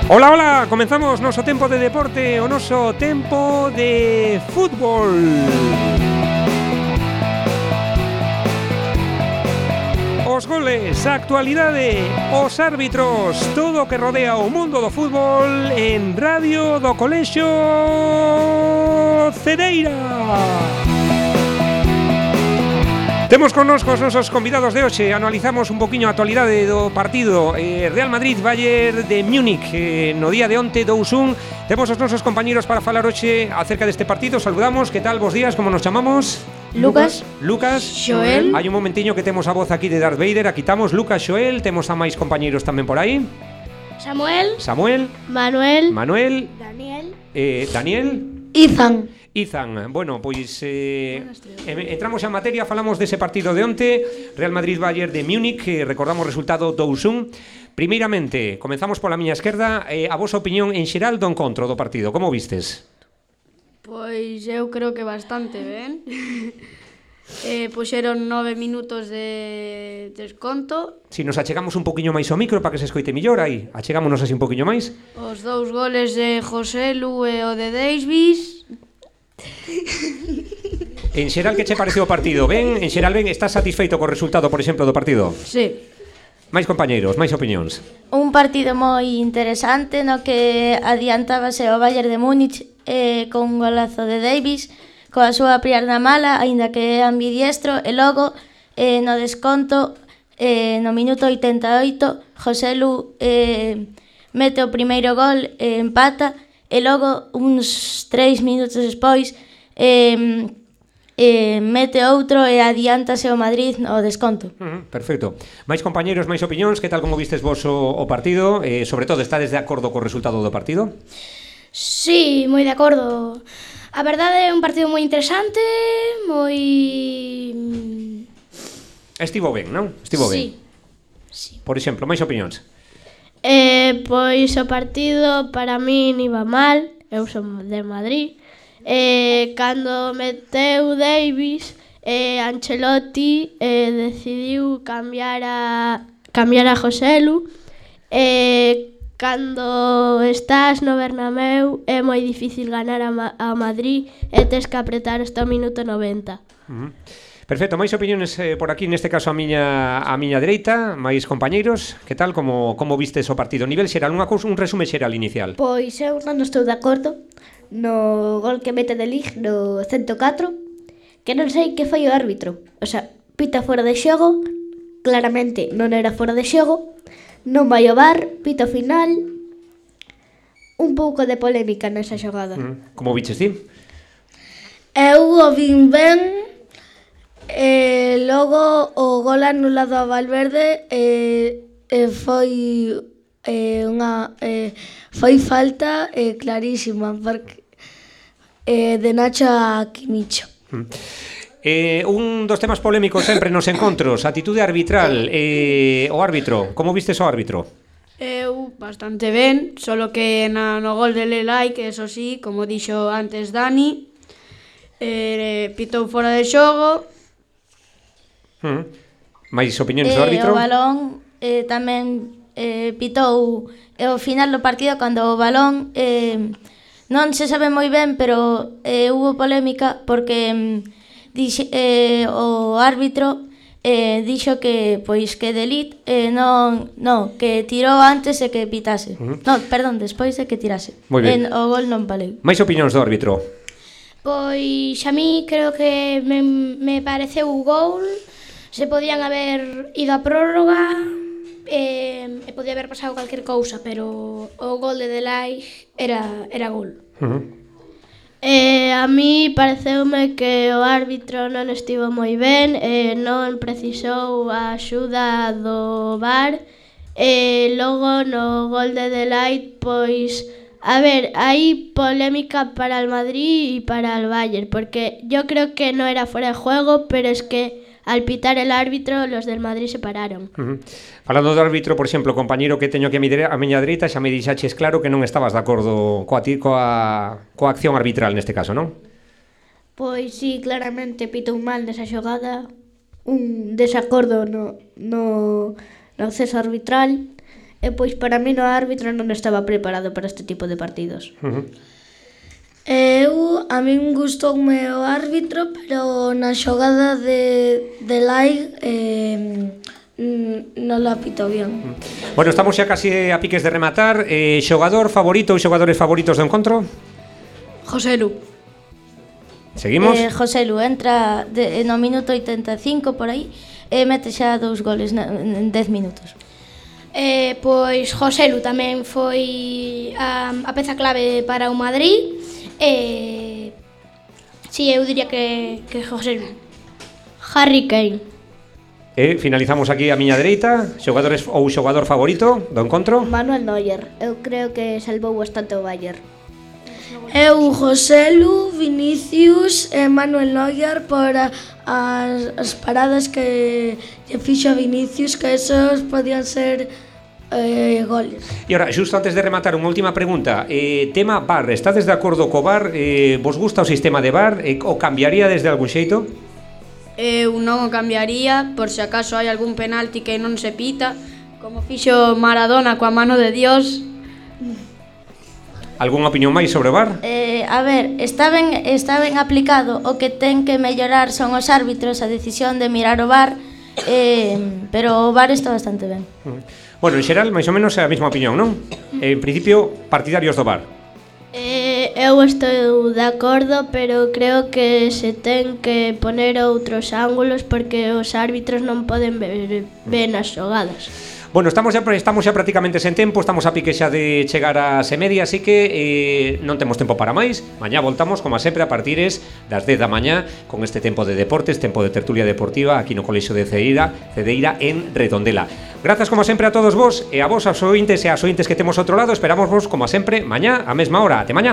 Ola, ola, comenzamos noso tempo de deporte, o noso tempo de fútbol. Os goles, a actualidade, os árbitros, todo o que rodea o mundo do fútbol en Radio do Colexio Cedeira. Temos connosco os nosos convidados de hoxe. Analizamos un poquinho a actualidade do partido Real Madrid-Bayern de Múnich no día de onte, 2-1. Temos os nosos compañeros para falar hoxe acerca deste partido. Saludamos, que tal, bos días, como nos chamamos? Lucas, Xoel. Hai un momentiño que temos a voz aquí de Darth Vader. Aquí estamos, Lucas, Xoel. Temos a máis compañeros tamén por aí. Samuel. Manuel. Daniel. Izan, bueno, pois entramos en materia, falamos dese partido de onte, Real Madrid-Bayern de Múnich, recordamos o resultado 2-1. Primeiramente, comenzamos pola miña esquerda, a vosa opinión en xeral do encontro do partido, como vistes? Pois eu creo que bastante ben. Puxeron 9 minutos de desconto. Si nos achegamos un poquinho máis ao micro para que se escoite mellor, aí, achegámonos así un poquinho máis. Os dous goles de Joselu e o de Davies. En xeral, que che pareceu o partido? Ben? En xeral, ben? Estás satisfeito co resultado, por exemplo, do partido? Sí. Máis compañeiros, máis opinións. Un partido moi interesante no que adiantábase o Bayern de Múnich con un golazo de Davies coa súa pierna mala, aínda que é ambidiestro, e logo no desconto no minuto 88 Joselu mete o primeiro gol, empata, e logo uns 3 minutos despois mete outro e adiántase o Madrid no desconto. Perfecto. Máis compañeiros, máis opinións, que tal como vistes vos o partido? Sobre todo, estades de acordo co resultado do partido? Sí, moi de acordo. A verdade é un partido moi interesante, moi... Estivo ben, non? Estivo ben. Sí. Por exemplo, máis opinións? Pois o partido para min iba mal, eu son de Madrid. Cando meteu Davies, Ancelotti decidiu cambiar a Joselu. Cando estás no Bernabéu é moi difícil ganar a Madrid e tes que apretar hasta o minuto 90. Perfecto, máis opinións por aquí, neste caso a miña dereita, máis compañeiros, que tal, como vistes o partido? Nivel xeral, un resume xeral inicial. Pois eu non estou de acordo no gol que mete de Ligt no 104, que non sei que foi o árbitro. O sea, pita fora de xogo, claramente non era fora de xogo, non vai ao VAR, pita final, un pouco de polémica nesa xogada. Como viches ti? Eu o vin ben. Logo o gol anulado a Valverde foi falta clarísima porque de Nacho a Kimicho. Un dos temas polémicos sempre nos encontros, atitude arbitral, o árbitro, como vistes o árbitro? Eu bastante ben, solo que no gol de Lelai, que eso sí, como dixo antes Dani, pitou fora de xogo. Mais opinións do árbitro? O balón tamén pitou ao final do partido cando o balón non se sabe moi ben, pero hubo polémica porque o árbitro dixo que pois que de Ligt que tirou antes de que pitase. Despois de que tirase. O gol non valeu. Mais opinións do árbitro? Pois a mí creo que me pareceu o gol. Se podían haber ido a prórroga e podía haber pasado calquer cousa, pero o gol de Delay era gol. A mí pareceume que o árbitro non estivo moi ben, non precisou a axuda do VAR, e logo no gol de Delay, pois, a ver, hai polémica para el Madrid e para el Bayern, porque yo creo que no era fuera de juego, pero es que al pitar el árbitro, los del Madrid se pararon. Falando do árbitro, por exemplo, compañeiro que teño aquí a miña dereita, xa me dixaches claro que non estabas de acordo coa acción arbitral neste caso, non? Pois sí, claramente pitou mal nesa xogada, un desacordo no acceso arbitral, E pois para mí o árbitro non estaba preparado para este tipo de partidos. A min gustoume o árbitro, pero na xogada de Lai non la pitou bien. Bueno, estamos xa casi a piques de rematar. Xogador favorito ou xogadores favoritos do encontro? Joselu. Seguimos? Joselu entra no minuto 85 por aí e mete xa 2 goles en 10 minutos. Pois Joselu tamén foi a peza clave para o Madrid. Si, eu diría que Joselu. Harry Kane. Finalizamos aquí a miña dereita. Xogadores ou xogador favorito do encontro? Manuel Neuer. Eu creo que salvou bastante o Bayern. Eu, Joselu, Vinicius e Manuel Neuer por as paradas que fixo a Vinicius, que esos podían ser goles. E ora, xusto antes de rematar, unha última pregunta. Tema VAR, estades de acordo co VAR? Vos gusta o sistema de VAR? O cambiaría desde algún xeito? Eu non o cambiaría, por se acaso hai algún penalti que non se pita, como fixo Maradona coa mano de Dios. Algúnha opinión máis sobre o VAR? A ver, está ben aplicado. O que ten que mellorar son os árbitros, a decisión de mirar o VAR, pero o VAR está bastante ben. Bueno, en xeral, máis ou menos é a mesma opinión, non? En principio, partidarios do VAR. Eu estou de acordo, pero creo que se ten que poner outros ángulos porque os árbitros non poden ver ben as xogadas. Bueno, estamos xa prácticamente sen tempo, estamos a pique xa de chegar a semedia, así que non temos tempo para máis. Mañá voltamos, como sempre, a partires das 10 da mañá con este tempo de deportes, tempo de tertulia deportiva aquí no Colexio de Cedeira en Redondela. Grazas, como sempre, a todos vos e a vos, aos ointes e as ointes que temos outro lado. Esperamos vos, como sempre, mañá, a mesma hora. Até mañá.